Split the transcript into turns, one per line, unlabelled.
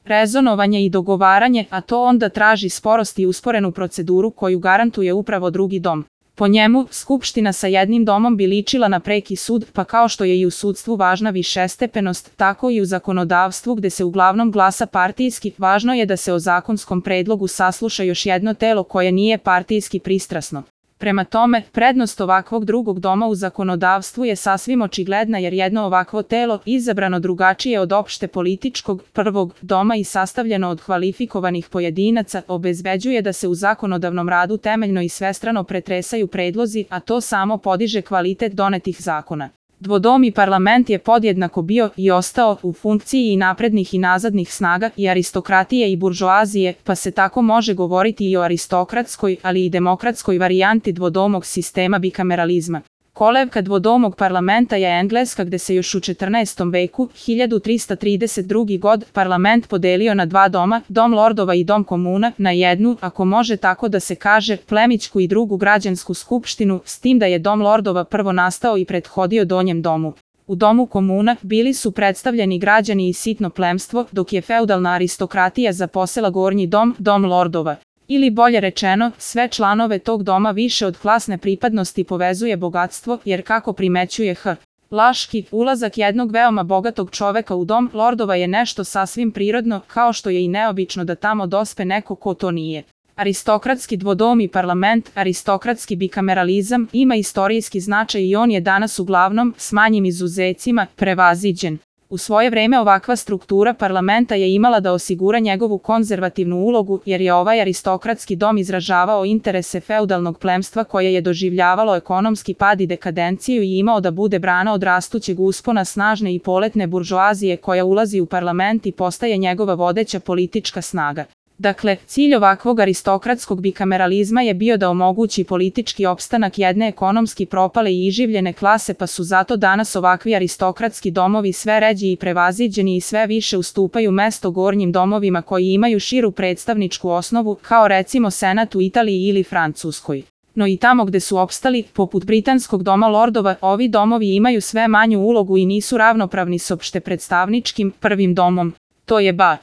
rezonovanje i dogovaranje, a to onda traži sporost i usporenu proceduru koju garantuje upravo drugi dom. Po njemu, skupština sa jednim domom bi ličila na preki sud, pa kao što je i u sudstvu važna višestepenost, tako i u zakonodavstvu gde se uglavnom glasa partijski, važno je da se o zakonskom predlogu sasluša još jedno telo koje nije partijski pristrasno. Prema tome, prednost ovakvog drugog doma u zakonodavstvu je sasvim očigledna jer jedno ovakvo telo, izabrano drugačije od opšte političkog prvog doma i sastavljeno od kvalifikovanih pojedinaca, obezbeđuje da se u zakonodavnom radu temeljno i svestrano pretresaju predlozi, a to samo podiže kvalitet donetih zakona. Dvodomi parlament je podjednako bio i ostao u funkciji i naprednih i nazadnih snaga i aristokratije i buržoazije, pa se tako može govoriti i o aristokratskoj, ali i demokratskoj varijanti dvodomog sistema bikameralizma. Kolevka dvodomog parlamenta je Engleska gde se još u 14. veku, 1332. god, parlament podelio na dva doma, dom lordova i dom komuna, na jednu, ako može tako da se kaže, plemićku i drugu građansku skupštinu, s tim da je dom lordova prvo nastao i prethodio donjem domu. U domu komuna bili su predstavljeni građani i sitno plemstvo, dok je feudalna aristokratija zaposela gornji dom, dom lordova. Ili bolje rečeno, sve članove tog doma više od klasne pripadnosti povezuje bogatstvo, jer kako primećuje H. Laški, ulazak jednog veoma bogatog čoveka u dom lordova je nešto sasvim prirodno, kao što je i neobično da tamo dospe neko ko to nije. Aristokratski dvodomi parlament, aristokratski bikameralizam, ima istorijski značaj i on je danas uglavnom, s manjim izuzecima, prevaziđen. U svoje vreme ovakva struktura parlamenta je imala da osigura njegovu konzervativnu ulogu jer je ovaj aristokratski dom izražavao interese feudalnog plemstva koje je doživljavalo ekonomski pad i dekadenciju i imao da bude brana od rastućeg uspona snažne i poletne buržoazije koja ulazi u parlament i postaje njegova vodeća politička snaga. Dakle, cilj ovakvog aristokratskog bikameralizma je bio da omogući politički opstanak jedne ekonomski propale i iživljene klase pa su zato danas ovakvi aristokratski domovi sve ređi i prevaziđeni i sve više ustupaju mesto gornjim domovima koji imaju širu predstavničku osnovu, kao recimo Senat u Italiji ili Francuskoj. No i tamo gde su opstali, poput britanskog doma lordova, ovi domovi imaju sve manju ulogu i nisu ravnopravni s opšte predstavničkim prvim domom. To je bar